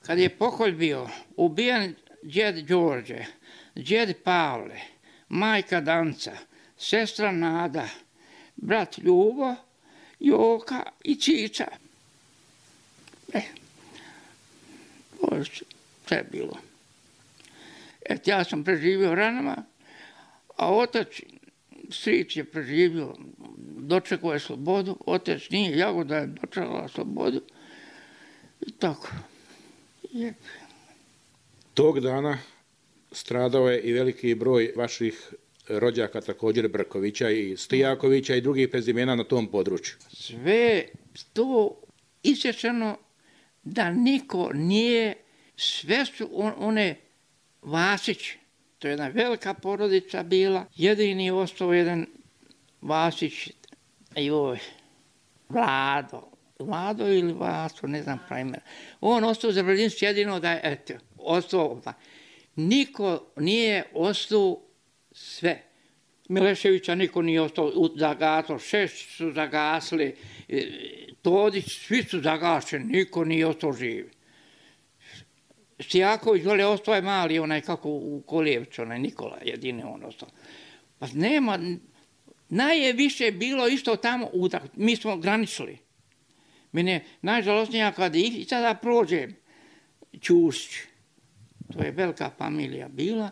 Kad je pokolj bio, ubijen djed Đorđe, djed Pavle, majka Danca, sestra Nada, brat Ljubo, Joka i Čiča. E, to je sve bilo. Et, ja sam preživio ranama, a otac, stric je preživio, dočekao je slobodu, otac nije, Jagoda je dočekala slobodu i tako. Je. Tog dana stradao je i veliki broj vaših rođaka, također Brkovića i Stijakovića i drugih prezimena na tom području. Sve to isječeno da niko nije, sve su one Vasić, to je jedna velika porodica bila, jedini je ostao jedan Vasić, joj, Vlado, Vlado ili Vaso, ne znam pravimena. On ostao za Bradinski jedino da je, eto, ostao, niko nije ostao sve. Mileševića niko nije ostao zagasao, šest su zagasli, Todić, svi su zagašeni, niko nije ostao živi. Stijaković, dole ostao je mali, onaj kako u Kolijevcu, onaj Nikola, jedini on ostao. Pa nema, najviše bilo isto tamo, mi smo graničili. Mene je najžalostnija kad i sada prođem Ćusić, to je velika familija bila,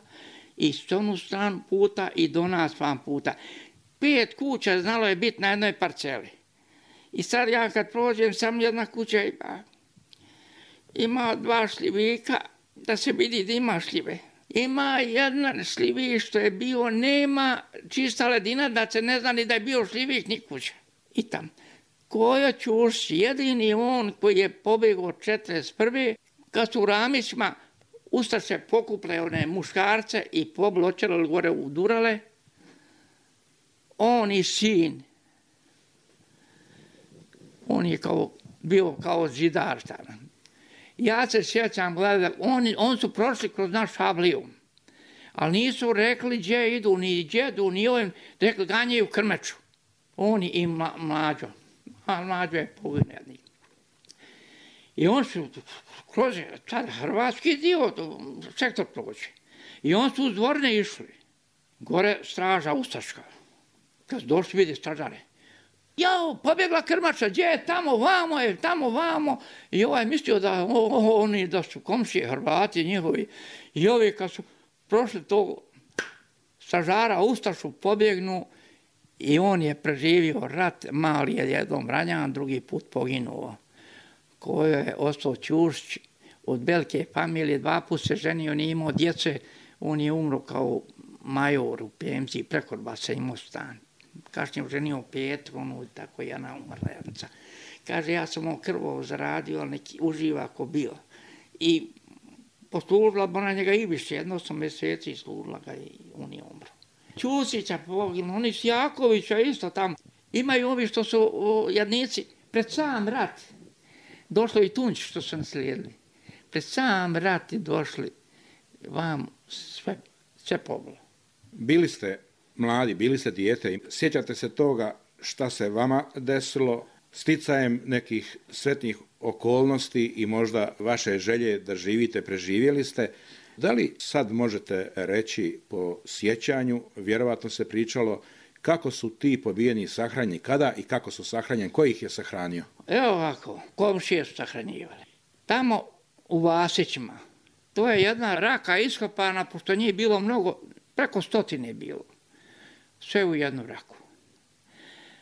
i s onu stranu puta i do nas van puta. Pet kuća znalo je biti na jednoj parceli. I sad ja kad prođem, sam jedna kuća ima, ima dva šljivika, da se vidi da ima šljive. Ima jedan šljivik što je bio, nema čista ledina, da se ne zna ni da je bio šljivik ni kuća. I tam. Kojo Ćušć, jedini on koji je pobjegao četrdeset prve kad su u Ramićima ustaše pokuple one muškarce i pobločali gore udurale, on i sin, on je kao, bio kao zidar tamo. Ja se sjećam, gledam, on, on su prošli kroz naš Šabliju, ali nisu rekli gdje idu, ni djedu, ni ovim, rekli ganjaju Krmeču. Oni i mla, mlađo, a mlađo je poginednik. I on su kroz tada hrvatski dio, sektor prođe. I on su uz dvorne išli. Gore straža ustaška. Kad su došli vidi stražare. Jao, pobjegla Krmača, gdje je tamo, vamo je, tamo, vamo. I ovaj mislio da o, o, oni da su komšije Hrvati njihovi. I ovi kad su prošli tog stražara ustašu pobjegnu i on je preživio rat, mali je jednom ranjan, drugi put poginuo. Koji je ostao Ćušć od velike familije, dva put se ženio, nije imao djece, on je umro kao major u P M C, prekorba se imao stan. Kasnije ženio Petru, ono, tako je jedna umrla jednica. Kaže, ja sam ovo krvo zaradio, ali neki uživa ako bio. I poslužila bi ona njega i više, jedno sam mjeseci služila ga i on je umro. Ćusića poginuo, oni su Jakovića isto tamo. Imaju ovi što su o, jadnici pred sam rat. Došlo i Tunči što su naslijedili. Pred sam rat i došli vam sve, sve pobilo. Bili ste mladi, bili ste dijete. Sjećate se toga šta se vama desilo sticajem nekih sretnih okolnosti i možda vaše želje da živite, preživjeli ste. Da li sad možete reći po sjećanju, vjerovatno se pričalo, kako su ti pobijeni sahranjeni, kada i kako su sahranjeni, ko ih je sahranio? Evo ovako, komšije su sahranjivali. Tamo u Vasićima, to je jedna raka iskopana, pošto njih bilo mnogo, preko stotine je bilo. Sve u jednu raku.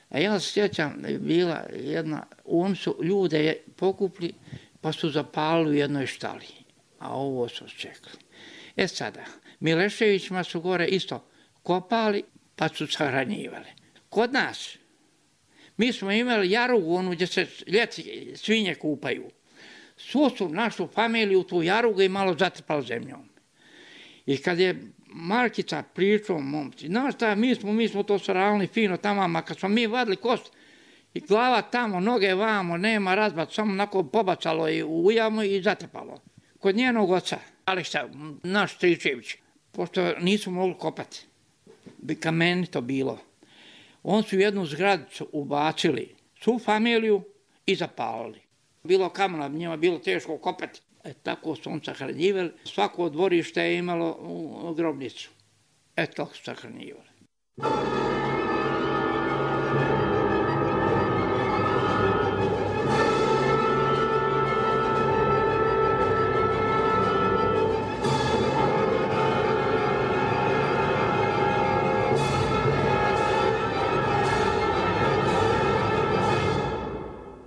A ja se sjećam da je bila jedna, oni su ljude pokupli, pa su zapalili u jednoj štali. A ovo su čekali. E sada, Mileševićima su gore isto kopali, pa su sahranjivali. Kod nas, mi smo imali jarugu, onu gdje se ljeti svinje kupaju. Svu su našu familiju tu jarugu i malo zatrpali zemljom. I kad je Markica pričao, momci, znaš šta, mi smo, mi smo to saravili fino tamo, a kad smo mi vadili kost, i glava tamo, noge vamo, nema razbat, samo onako pobacalo i u jamu i zatrpalo. Kod njenog oca, Aleksa, naš Stričević, pošto nisu mogli kopati, bi kamenito bilo. On su jednu zgradicu ubacili, svu familiju i zapalili. Bilo kamena, njima bilo teško kopati. E, tako su on sahranjivali. Svako dvorište je imalo u grobnicu. E, tako su sahranjivali.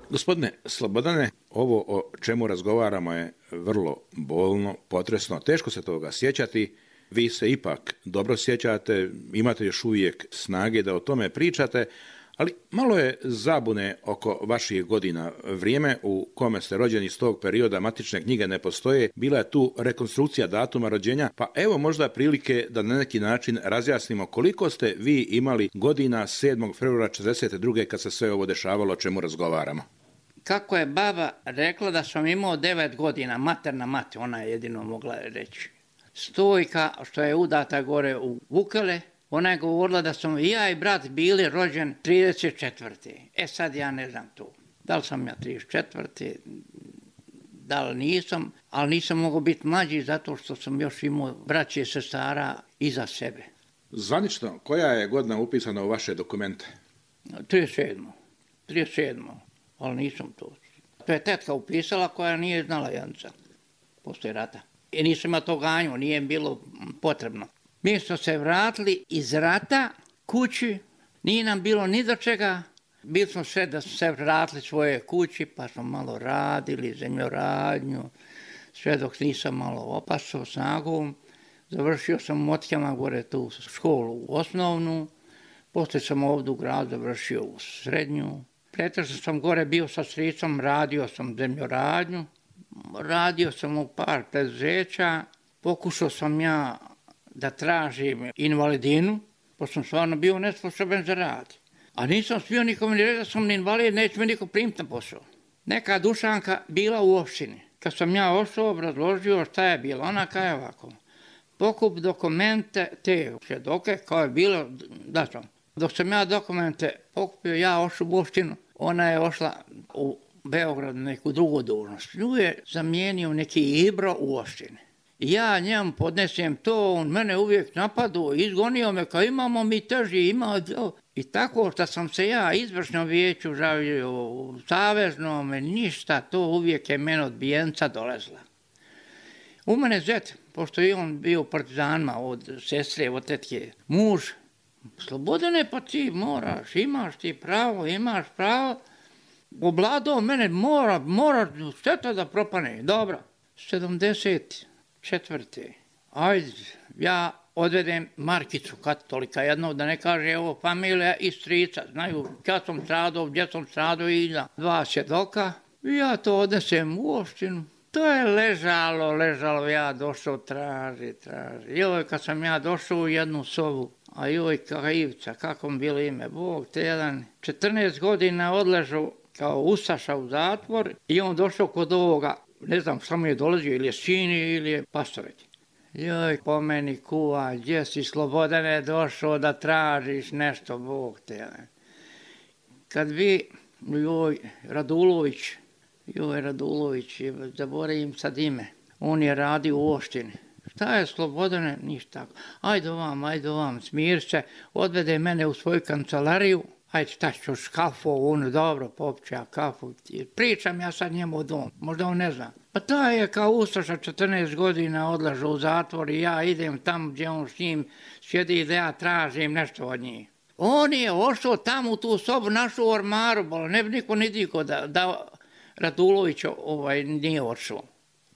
Gospodine Slobodane, ovo o čemu razgovaramo je vrlo bolno, potresno, teško se toga sjećati. Vi se ipak dobro sjećate, imate još uvijek snage da o tome pričate, ali malo je zabune oko vaših godina. Vrijeme u kome ste rođeni iz tog perioda, matične knjige ne postoje, bila je tu rekonstrukcija datuma rođenja, pa evo možda prilike da na neki način razjasnimo koliko ste vi imali godina sedmog februara četrdeset druge kad se sve ovo dešavalo, o čemu razgovaramo. Kako je baba rekla da sam imao devet godina, materna mati, ona je jedino mogla reći. Stojka, što je udata gore u Vukele, ona je govorila da sam i ja i brat bili rođen trideset četvrte. E sad ja ne znam to. Da li sam ja trideset četvrte, da li nisam, ali nisam mogao biti mlađi zato što sam još imao braće i sestara iza sebe. Zvanično, koja je godina upisana u vaše dokumente? trideset sedma. trideset sedma. Ali nisam to. To je tetka upisala koja nije znala Janca poslije rata. I nisam ima to ganju, nije bilo potrebno. Mi smo se vratili iz rata kući, nije nam bilo ni do čega. Bili smo sve da smo se vratili svoje kući, pa smo malo radili, zemljoradnju, sve dok nisam malo opasao snagom. Završio sam u Motkama gore tu školu osnovnu, poslije sam ovdje u gradu završio u srednju. Pretežno sam gore bio sa stricom, radio sam zemljoradnju, radio sam u par preduzeća, pokušao sam ja da tražim invalidinu, pošto sam stvarno bio nesposoban za rad. A nisam smio nikom ni reći da sam invalid, neće me niko primiti na posao. Neka Dušanka bila u opštini. Kad sam ja ošao, obrazložio šta je bilo, ona kaže ovako. Pokup dokumente, te svjedoke, kao je bilo, da sam. Dok sam ja dokumente pokupio, ja ošao u opštinu, ona je ošla u Beograd na neku drugu dužnost. Nju je zamijenio neki Ibro u opštini. Ja njemu podnesem to, on mene uvijek napadu, izgonio me kao imamo mi teži, ima to. I tako što sam se ja izvršnom vijeću žavio, u saveznom, ništa, to uvijek je meni od bijenca dolezla. U mene zet, pošto je on bio u partizanima od sestre, od tetke, muž, Slobodane, pa ti moraš, imaš ti pravo, imaš pravo. Obladao mene, mora, mora, šteta da propane. Dobro, sedamdeset četvrte Ajde, ja odvedem Markicu katolika jednog, da ne kaže evo familija i strica. Znaju kad sam stradao, gdje sam stradao i da dva svjedoka. I ja to odnesem u opštinu. To je ležalo, ležalo, ja došao, traži, traži. Joj, kad sam ja došao u jednu sobu, a joj, Kajivca, kako mi bilo ime, Bog te jedan, četrnaest godina odležao kao ustaša u zatvor i on došao kod ovoga, ne znam šta mu je dolazio, ili je sini ili je pastoreć. Joj, po meni kuva, gdje si Slobodane došao da tražiš nešto, Bog te jedan. Kad vi, joj, Radulović, joj, Radulović, zaboravim sad ime, on je radio u opštini. Šta je Slobodane? Ništa tako. Ajde ovam, ajde ovam, smir se, odvede mene u svoju kancelariju, ajde šta ćeš kafu, ono dobro, popću ja kafu, pričam ja sad njemu o dom, možda on ne zna. Pa taj je kao ustaša četrnaest godina odlažao u zatvor i ja idem tamo gdje on s njim sjedi da ja tražim nešto od njih. On je ošao tamo u tu sobu, našao u ormaru, bolo, ne bi niko ni diko da, da Radulović ovaj, nije ošao.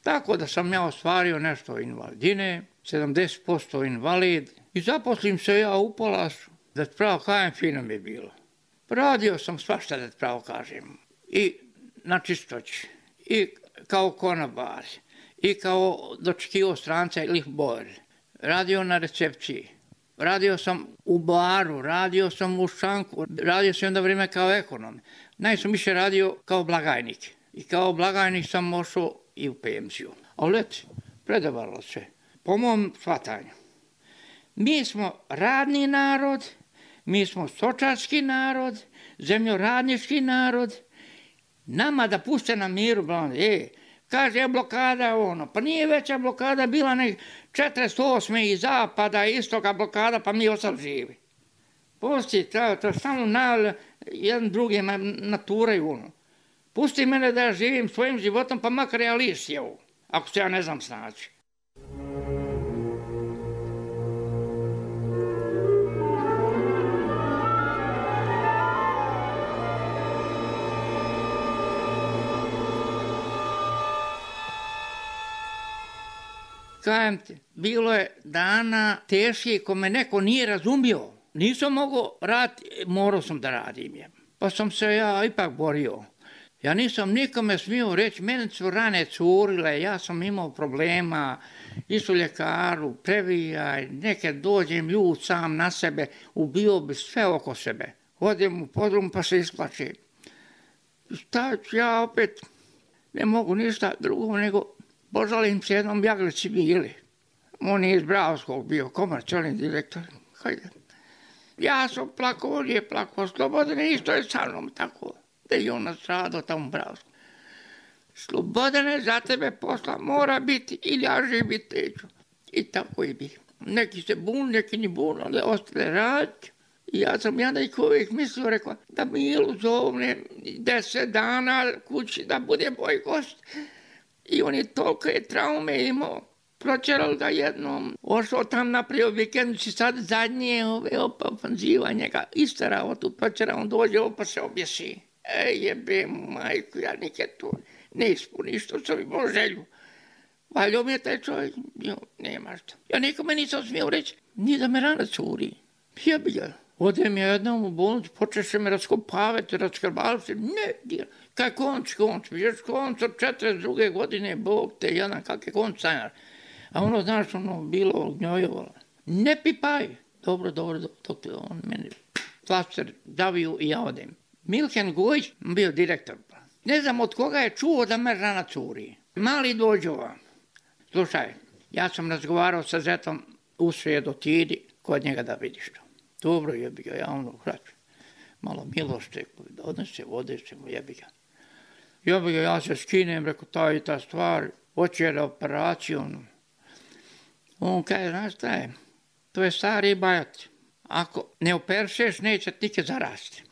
Tako da sam ja ostvario nešto invalidine, sedamdeset posto invalid i zaposlim se ja u Palasu. Da ti pravo kajem, fino mi je bilo. Radio sam svašta, da ti pravo kažem. I na čistoći, i kao konobar, i kao dočekivao stranca ili bor. Radio na recepciji. Radio sam u baru, radio sam u šanku, radio sam onda vrijeme kao ekonom. Najsam više radio kao blagajnik. I kao blagajnik sam ošao i u penziju. Ali leti, predavalo se, po mom shvatanju. Mi smo radni narod, mi smo stočarski narod, zemljoradnički narod. Nama da puste na miru, e, kaže je blokada ono, pa nije veća blokada bila nek četrdeset osme i zapada, istoka blokada, pa mi ostali živi. Pusti, to, to samo na, jedan drugi naturaju ono. Pusti mene da ja živim svojim životom, pa makar ja liš jevu, ako se ja ne znam snaći. Kajem ti, bilo je dana teški ko me neko nije razumio. Nisam mogao raditi, morao sam da radim je. Pa sam se ja ipak borio. Ja nisam nikome smio reći, mene su rane curile, ja sam imao problema, isu ljekaru, previjaj, neke dođem ljud sam na sebe, ubio bi sve oko sebe. Odem u podrum pa se isplačim. Šta ću ja opet, ne mogu ništa drugo nego požalim se jednom Jaglici bili. On je iz Bravskog bio, komercijalni direktor. Hajde. Ja sam plakao, on je plakao, Slobodane, isto je sa mnom tako. Da je on nastradao tamo u Bravskom. Slobodane, za tebe posla mora biti ili ja živit neću. I tako i bi. Neki se bun, neki ni bun, ali ostale raditi. I ja sam ja da ih uvijek mislio, rekao, da Milu zovne deset dana kući da bude moj gost. I on je toliko je traume imao. pročerali ga jednom, ošao tam napravio vikendici, sad zadnje ove ofanziva njega isterao tu, pročerao, on dođe, opa se objesi. Ej, jebe mu majku, ja nikad to ne ispuni, što sam imao želju. Valjao mi je taj čovjek, jo, nema što. Ja nikome nisam smio reći, ni da me rana curi. Jebi ga. Odem ja jednom u bolnicu, počeše me raskopavati, raskrbavati, ne, dira. Kaj konc, konc, još konc od četrdeset druge godine, Bog te jedan, kak je konc sanjar. A ono, znaš, ono, bilo gnjojevalo. Ne pipaj. Dobro, dobro, dok on meni flaster daviju i ja odem. Milken Gojić bio direktor. Ne znam od koga je čuo da me rana curi. Mali dođova. Slušaj, ja sam razgovarao sa zetom u srijedu, ti idi kod njega da vidiš to. Dobro, jebi ga, ja ono hraću. Malo milošte, odnese, vode se mu, jebi ga. Jebi ga, ja se skinem, reko, ta i ta stvar, hoće da operaciju. On kaže, znaš šta je, to je stari bajat. Ako ne operšeš, neće nikad zarasti.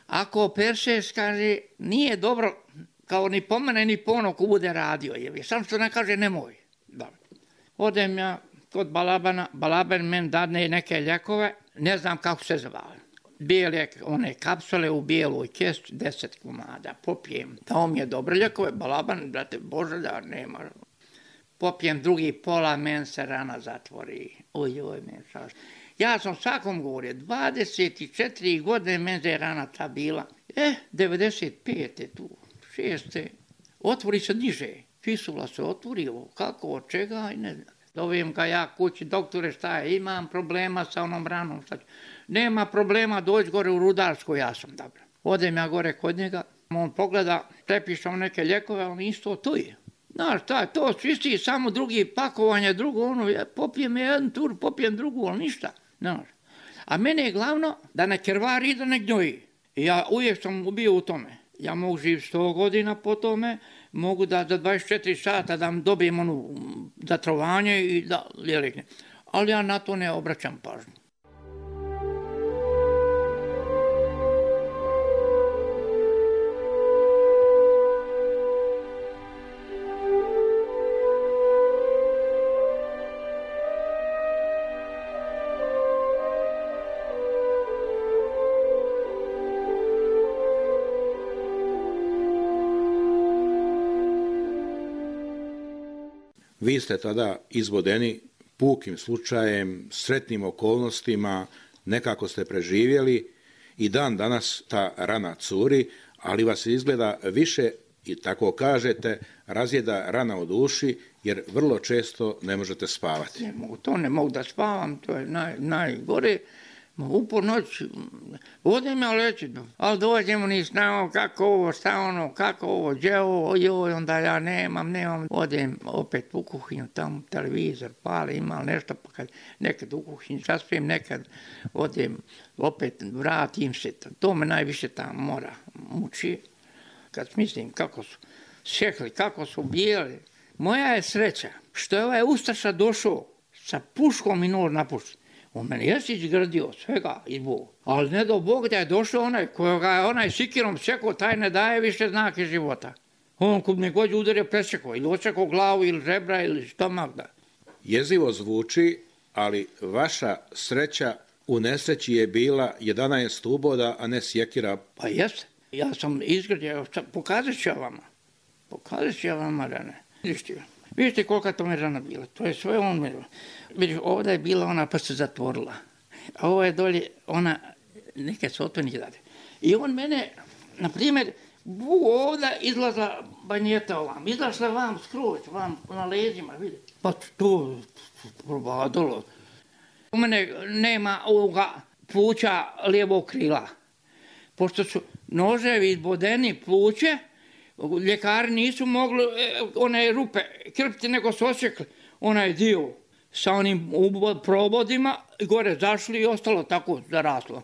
Ako operšeš, kaže, nije dobro, kao ni po mene, ni po ono ko bude radio, jebi. Sam što ne kaže, nemoj. Dobro. Odem ja kod Balabana, Balaban men dadne neke ljekove, ne znam kako se zvali. Bijele, one kapsule u bijeloj kesti, deset komada, popijem. Dao mi je dobre ljekove, Balaban, brate, Bože, da nema. Popijem drugi pola, men se rana zatvori. Oj, oj, men šaš. Ja sam svakom govorio, dvadeset četiri godine men je rana ta bila. E, devedeset pete tu, šeste, otvori se niže. Fisula se otvori, kako, od čega, i ne znam. Dovijem ga ja kući, doktore, šta je, imam problema sa onom ranom. Šta ću. Nema problema, dođi gore u Rudarsku, ja sam dobro. Odem ja gore kod njega, on pogleda, prepišem neke ljekove, on isto to je. Znaš, šta, to su isti, samo drugi pakovanje, drugo ono, ja popijem jedan tur, popijem drugu, ali ništa. Znaš. A mene je glavno da ne krvari i da ne gnjoji. I ja uvijek sam bio u tome. Ja mogu živjeti sto godina po tome, mogu da za dvadeset četiri sata da dobijem ono zatrovanje i da lijekne. Ali ja na to ne obraćam pažnju. Vi ste tada izvodeni pukim slučajem, sretnim okolnostima, nekako ste preživjeli i dan danas ta rana curi, ali vas izgleda više, i tako kažete, razjeda rana u duši, jer vrlo često ne možete spavati. Ne mogu, to ne mogu da spavam, to je naj, najgore. U ponoć, odem ja leći, ali dođemo ni znao kako ovo, šta ono, kako ovo, gdje ovo, joj, onda ja nemam, nemam. Odem opet u kuhinju, tamo televizor pali, ima nešto, pa kad nekad u kuhinju zaspijem, nekad odem, opet vratim se, to me najviše tamo mora muči. Kad mislim kako su šekli, kako su bijeli. Moja je sreća što je ovaj Ustaša došao sa puškom i nor napušten. On meni jesi izgradio svega iz Boga. Ali ne do Bog da je došao onaj kojega je onaj sikirom sekao, taj ne daje više znake života. On kod me god udario presekao, ili osekao glavu, ili žebra, ili stomak. Da. Jezivo zvuči, ali vaša sreća u nesreći je bila jedanaest uboda, a ne sjekira. Pa jeste. Ja sam izgradio, pokazat ću ja vama. Pokazat ću ja vama rane. Vidite, vidite kolika to mi rana bila. To je sve on mi. Vidite, ovdje je bila ona pa se zatvorila. A ovo je dolje ona, neke su otvornike dade. I on mene, na primjer, ovdje izlazla banjeta ovam. Izlašla vam skroz, vam na leđima, vidite. Pa to probadalo. U mene nema ovoga pluća lijevog krila. Pošto su noževi izbodeni pluće, ljekari nisu mogli one rupe krpiti, nego su osjekli onaj dio sa onim probodima, gore zašli i ostalo tako zaraslo.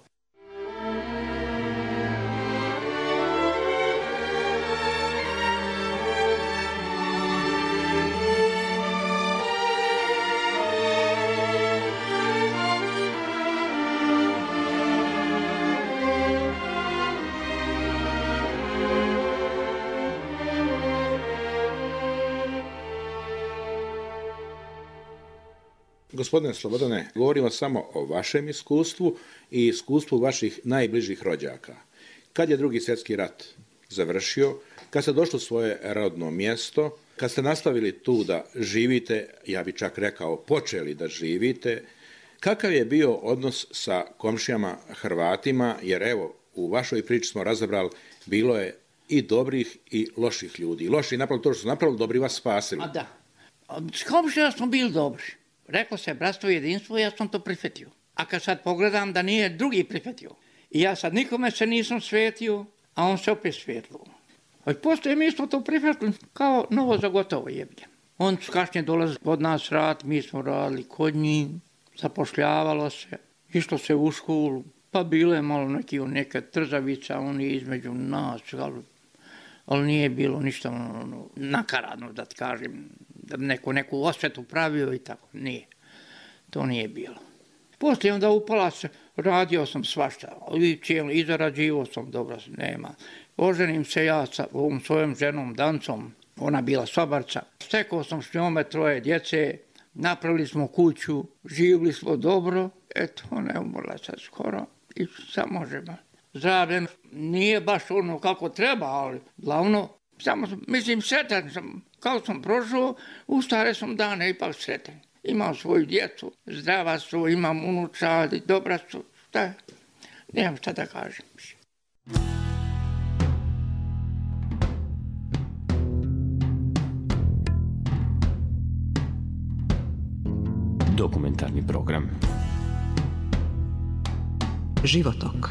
Gospodine Slobodane, govorimo samo o vašem iskustvu i iskustvu vaših najbližih rođaka. Kad je Drugi svjetski rat završio, kad ste došli u svoje rodno mjesto, kad ste nastavili tu da živite, ja bih čak rekao počeli da živite, kakav je bio odnos sa komšijama Hrvatima, jer evo, u vašoj priči smo razabrali, bilo je i dobrih i loših ljudi. Loši napravili to što su napravili, dobri vas spasili. A da. S komšijama smo bili dobri. Reklo se bratstvo i jedinstvo, ja sam to prihvatio. A kad sad pogledam da nije drugi prihvatio, i ja sad nikome se nisam svetio, a on se opet svetlo. A postoje mi smo to prihvatili kao novo za gotovo jeblje. On su kasnije dolazili kod nas rad, mi smo radili kod njih, zapošljavalo se, išlo se u školu, pa bilo je malo neki, neka trzavica, oni između nas, ali, ali nije bilo ništa ono, nakaradno, da ti kažem, da bi neko neku osvetu pravio i tako, nije. To nije bilo. Poslije onda upala se, radio sam svašta, i cijeli, i zarađivo sam, dobro, nema. Oženim se ja sa ovom svojom ženom Dancom, ona bila sobarca. Stekao sam s njome troje djece, napravili smo kuću, živjeli smo dobro, eto, ona je umrla sad skoro i sad možemo. Zdravlje nije baš ono kako treba, ali glavno, samo, mislim, sretan sam, kako sam prošao, u stare sam dane ipak sretan. Imam svoju djecu, zdrava su, imam unuča, dobra su, šta, nemam šta da kažem. Dokumentarni program Životok.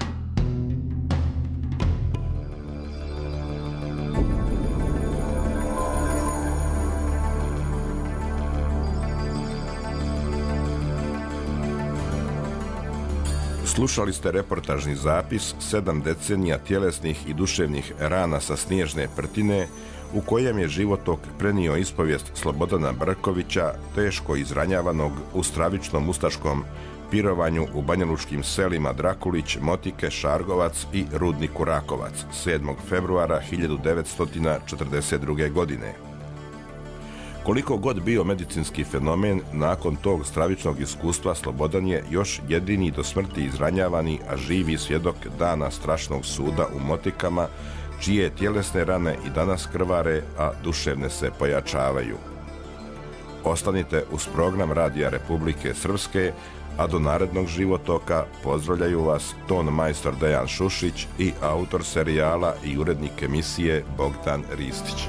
Slušali ste reportažni zapis sedam decenija tjelesnih i duševnih rana sa Snježne Prtine, u kojem je životok prenio ispovijest Slobodana Brkovića, teško izranjavanog u stravičnom ustaškom pirovanju u banjalučkim selima Drakulić, Motike, Šargovac i Rudniku Rakovac sedmog februara hiljadu devetsto četrdeset druge. godine. Koliko god bio medicinski fenomen, nakon tog stravičnog iskustva Slobodan je još jedini do smrti izranjavani, a živi svjedok dana strašnog suda u Motikama, čije tjelesne rane i danas krvare, a duševne se pojačavaju. Ostanite uz program Radija Republike Srpske, a do narednog životoka pozdravljaju vas ton majstor Dejan Šušić i autor serijala i urednik emisije Bogdan Ristić.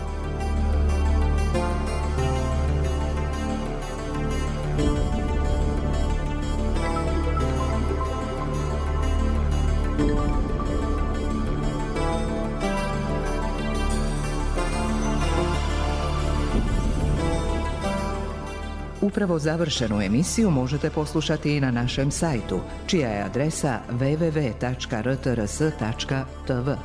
Upravo završenu emisiju možete poslušati i na našem sajtu, čija je adresa w w w tačka r t r s tačka t v.